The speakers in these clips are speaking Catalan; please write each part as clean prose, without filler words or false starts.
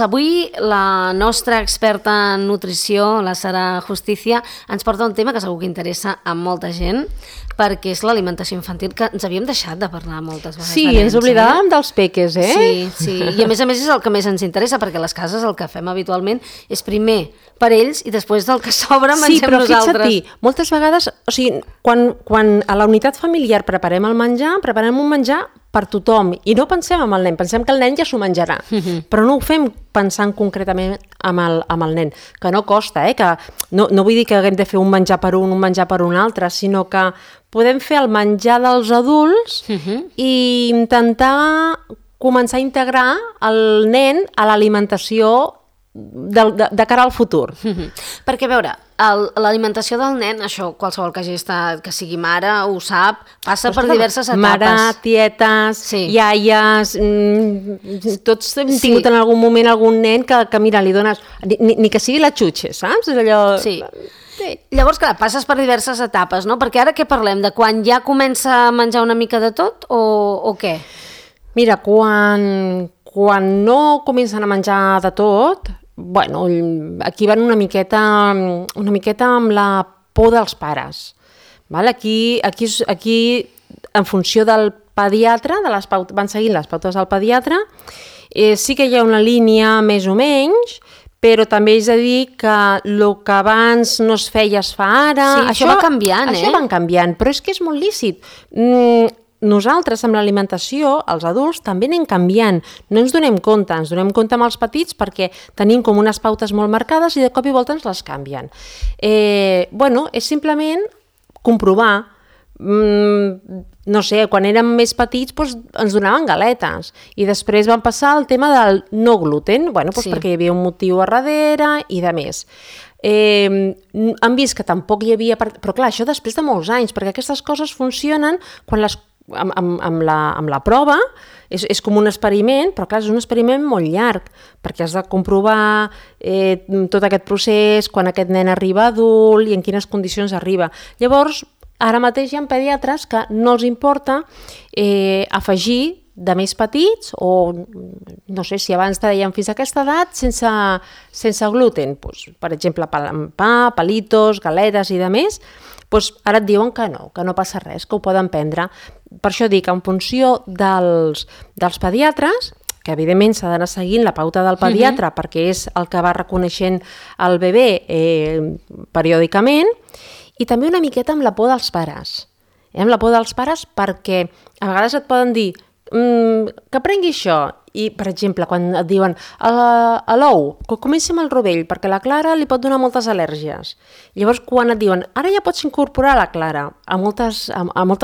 Avui la nostra experta en nutrició, la Sara Justicia, ens porta un tema que segur que interessa a molta gent, perquè és l'alimentació infantil, que ens havíem deixat de parlar moltes vegades. Sí, ens oblidàvem dels peques, Sí, i a més és el que més ens interessa, perquè a les cases el que fem habitualment és primer per ells i després del que sobra mengem nosaltres. Sí, però fixa't, moltes vegades, o sigui, quan a la unitat familiar preparem el menjar, preparem un menjar per tothom, i no pensem en el nen, pensem que el nen ja s'ho menjarà, però no ho fem pensant concretament amb el nen, que no costa, que no vull dir que haguem de fer un menjar per un menjar per un altre, sinó que podem fer el menjar dels adults i intentar començar a integrar el nen a l'alimentació de cara al futur. Perquè, a veure, l'alimentació del nen, això qualsevol que hagi estat, que sigui mare, ho sap, passa per diverses etapes. Mare, tietes, iaies, tots hem tingut en algun moment algun nen que mira, li dones, ni que sigui la xutxa, saps? És allò... Sí. Llavors, clar, passes per diverses etapes, no? Perquè ara què parlem? De quan ja comença a menjar una mica de tot o què? Mira, quan no comencen a menjar de tot, bueno, aquí van una miqueta amb la por dels pares. Val? Aquí, en funció del pediatre, van seguint les pautes del pediatre, sí que hi ha una línia més o menys, però també és a dir que el que abans no es feia es fa ara. Sí, això va canviant, Això va canviant, però és que és molt lícit. Nosaltres, amb l'alimentació, els adults, també anem canviant. No ens donem compte amb els petits perquè tenim com unes pautes molt marcades i de cop i volta ens les canvien. És simplement comprovar. No sé, quan érem més petits ens donaven galetes i després van passar al tema del no gluten, perquè hi havia un motiu a darrere i de més. Han vist que tampoc hi havia... Però clar, això després de molts anys, perquè aquestes coses funcionen quan amb la prova, és com un experiment, però clar, és un experiment molt llarg, perquè has de comprovar tot aquest procés, quan aquest nen arriba adult i en quines condicions arriba. Llavors, ara mateix hi ha pediatres que no els importa afegir de més petits o, no sé, si abans deien fins a aquesta edat sense gluten, per exemple, pa, palitos, galetes i de més, ara et diuen que no passa res, que ho poden prendre. Per això dic, en funció dels pediatres, que evidentment s'ha d'anar seguint la pauta del pediatre perquè és el que va reconeixent el bebè periòdicament, i també una miqueta amb la por dels pares. Amb la por dels pares perquè a vegades et poden dir que prengui això, i per exemple quan et diuen a l'ou, que comenci amb el rovell perquè la clara li pot donar moltes al·lèrgies. Llavors quan et diuen ara ja pots incorporar la clara, a moltes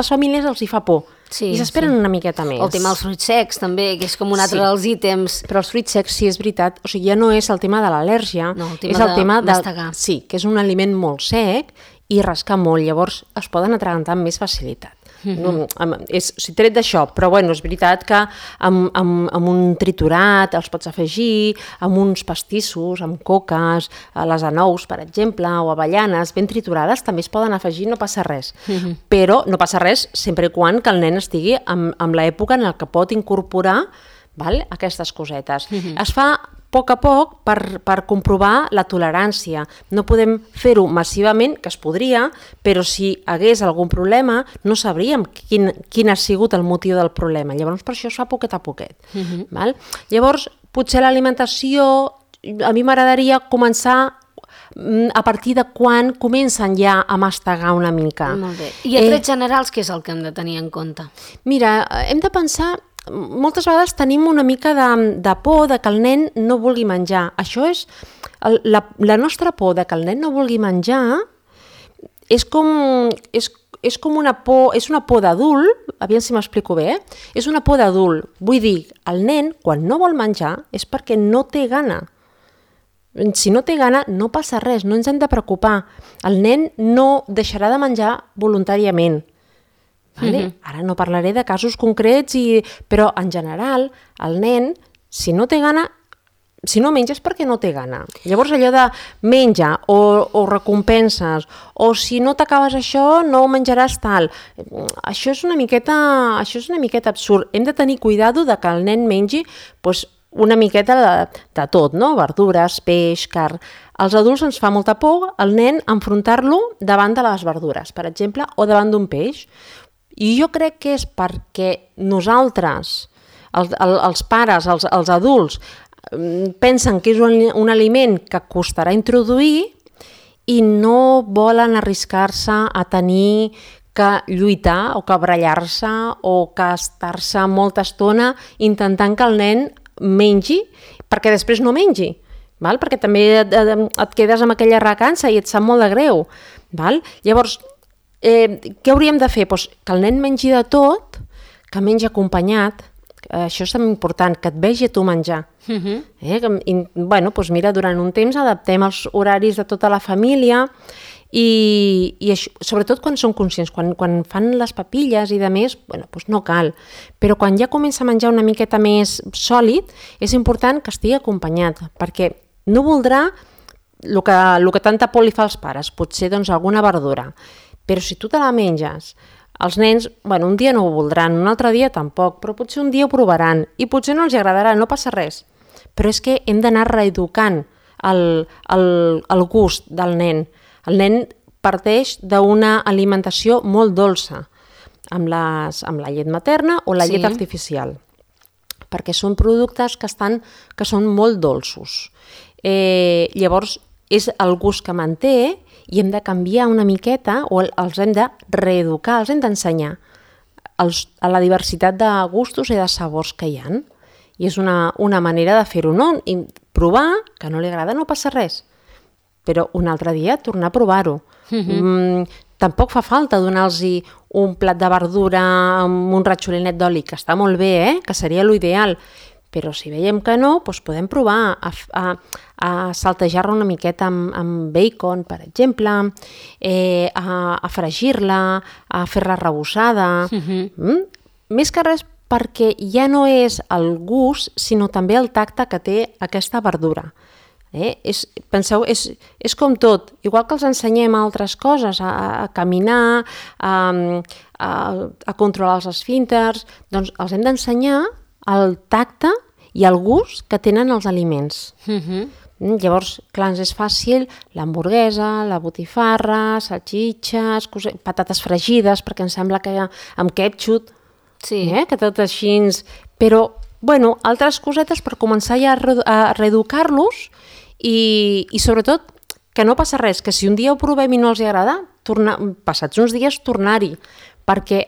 famílies els hi fa por i s'esperen una miqueta més. El tema dels fruits secs també, que és com un altre dels ítems. Però els fruits secs, sí, és veritat, o sigui, ja no és el tema de l'al·lèrgia, és el tema de mastegar. Sí, que és un aliment molt sec i rasca molt, llavors es poden atragantar amb més facilitat. Tret d'això, però és veritat que amb un triturat els pots afegir, amb uns pastissos, amb coques, les anous, per exemple, o avellanes ben triturades també es poden afegir, no passa res. Però no passa res sempre i quan que el nen estigui en l'època en què pot incorporar aquestes cosetes. Es fa a poc per comprovar la tolerància. No podem fer-ho massivament, que es podria, però si hagués algun problema no sabríem quin ha sigut el motiu del problema. Llavors per això es fa poquet a poquet. Llavors potser l'alimentació, a mi m'agradaria començar a partir de quan comencen ja a mastegar una mica. Molt bé. I a trets generals què és el que hem de tenir en compte? Mira, hem de pensar... Moltes vegades tenim una mica de por de que el nen no vulgui menjar. Això és... La nostra por de que el nen no vulgui menjar és com una por... És una por d'adult, aviam si m'explico bé, és una por d'adult. Vull dir, el nen, quan no vol menjar, és perquè no té gana. Si no té gana, no passa res, no ens hem de preocupar. El nen no deixarà de menjar voluntàriament. Ara no parlaré de casos concrets, però en general el nen, si no té gana, si no menja és perquè no té gana. Llavors allò de menja o recompenses, o si no t'acabes això no menjaràs tal, això és una miqueta absurd. Hem de tenir cuidado de que el nen mengi una miqueta de tot, no? Verdures, peix, carn. Als adults ens fa molta por el nen enfrontar-lo davant de les verdures, per exemple, o davant d'un peix. I jo crec que és perquè nosaltres, els pares, els adults, pensen que és un aliment que costarà introduir i no volen arriscar-se a tenir que lluitar o que barallar-se o que estar-se molta estona intentant que el nen mengi perquè després no mengi, val? Perquè també et quedes amb aquella recança i et sap molt de greu. Val? Llavors, què hauríem de fer? Pues que el nen mengi de tot, que mengi acompanyat, això és important, que et vegi a tu menjar. Doncs mira, durant un temps adaptem els horaris de tota la família i això, sobretot quan són conscients, quan fan les papilles i de més, doncs no cal. Però quan ja comença a menjar una miqueta més sòlid, és important que estigui acompanyat, perquè no voldrà el que tanta por li fa als pares, potser doncs alguna verdura. Però si tu te la menges, els nens, un dia no ho voldran, un altre dia tampoc, però potser un dia ho provaran i potser no els agradarà, no passa res. Però és que hem d'anar reeducant el gust del nen. El nen parteix d'una alimentació molt dolça, amb la llet materna o la llet artificial, perquè són productes que són molt dolços. Llavors, és el gust que manté i hem de canviar una miqueta o els hem de reeducar, els hem d'ensenyar a la diversitat de gustos i de sabors que hi ha. I és una manera de fer-ho, no? I provar, que no li agrada, no passa res. Però un altre dia tornar a provar-ho. Tampoc fa falta donar-los un plat de verdura amb un ratxolinet d'oli, que està molt bé, que seria l'ideal. Però si veiem que no, doncs podem provar a saltejar-la una miqueta amb bacon, per exemple, a fregir-la, a fer-la rebossada. Més que res perquè ja no és el gust, sinó també el tacte que té aquesta verdura. Penseu, és com tot, igual que els ensenyem altres coses, a caminar, a controlar els esfínters, doncs els hem d'ensenyar el tacte i el gust que tenen els aliments. Llavors, clar, ens és fàcil l'hamburguesa, la botifarra, salxitxes, patates fregides, perquè em sembla que amb ketchup, que tot així... Però, altres cosetes per començar ja a reeducar-los i sobretot que no passa res, que si un dia ho provem i no els agrada, passats uns dies tornar-hi, perquè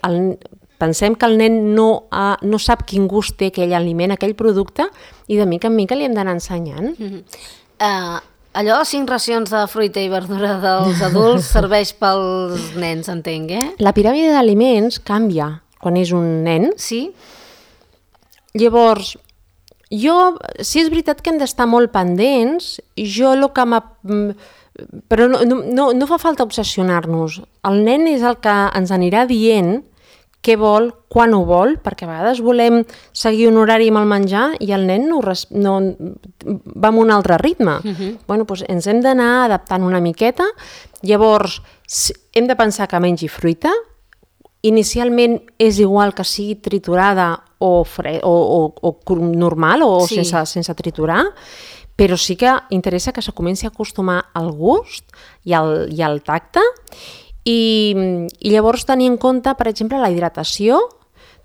pensem que el nen no sap quin gust té aquell aliment, aquell producte, i de mica en mica li hem d'anar ensenyant. Allò de 5 racions de fruita i verdura dels adults serveix pels nens, entenc, La piràmide d'aliments canvia quan és un nen. Sí? Llavors, sí és veritat que hem d'estar molt pendents, però no fa falta obsessionar-nos. El nen és el que ens anirà dient què vol, quan ho vol, perquè a vegades volem seguir un horari amb el menjar i el nen va amb un altre ritme. Doncs ens hem d'anar adaptant una miqueta. Llavors, hem de pensar que mengi fruita. Inicialment és igual que sigui triturada o normal o sense triturar, però sí que interessa que se comenci a acostumar al gust i al tacte. I llavors tenir en compte, per exemple, la hidratació,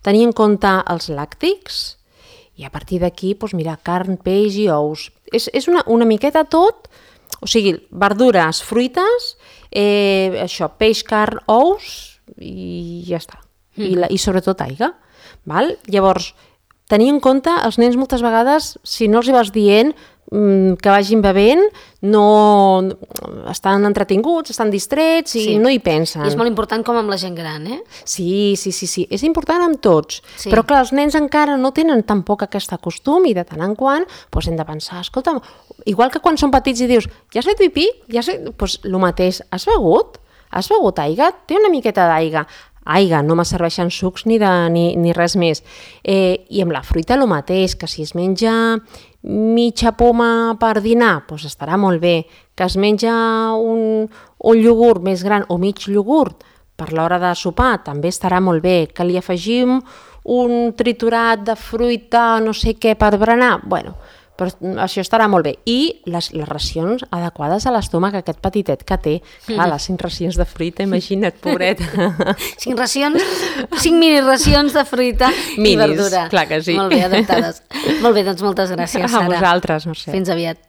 tenir en compte els làctics i a partir d'aquí, carn, peix i ous. És una miqueta tot, o sigui, verdures, fruites, peix, carn, ous i ja està. I sobretot aigua. Llavors, tenir en compte, els nens moltes vegades, si no els vas dient que vagin bevent, no estan entretinguts, estan distrets i no hi pensen. I és molt important com amb la gent gran, Sí, és important amb tots, però clar, els nens encara no tenen tampoc aquest costum i de tant en quant hem de pensar, escolta, igual que quan són petits i dius, ja has fet pipí? Doncs el mateix, has begut? Has begut aigua? Té una miqueta d'aigua. Aigua, no me serveixen sucs ni res més. I amb la fruita el mateix, que si es menja mitja poma per dinar, doncs estarà molt bé. Que es menja un iogurt més gran o mig iogurt per l'hora de sopar, també estarà molt bé. Que li afegim un triturat de fruita, no sé què, per berenar, bueno, però això estarà molt bé. I les racions adequades a l'estómac, aquest petitet que té. Clar, les 5 racions de fruita, imagina't, pobret. 5 racions, 5 mini racions de fruita i verdura. Clar que sí. Molt bé, adaptades. Molt bé, doncs moltes gràcies, Sara. A vosaltres, Mercè. Fins aviat.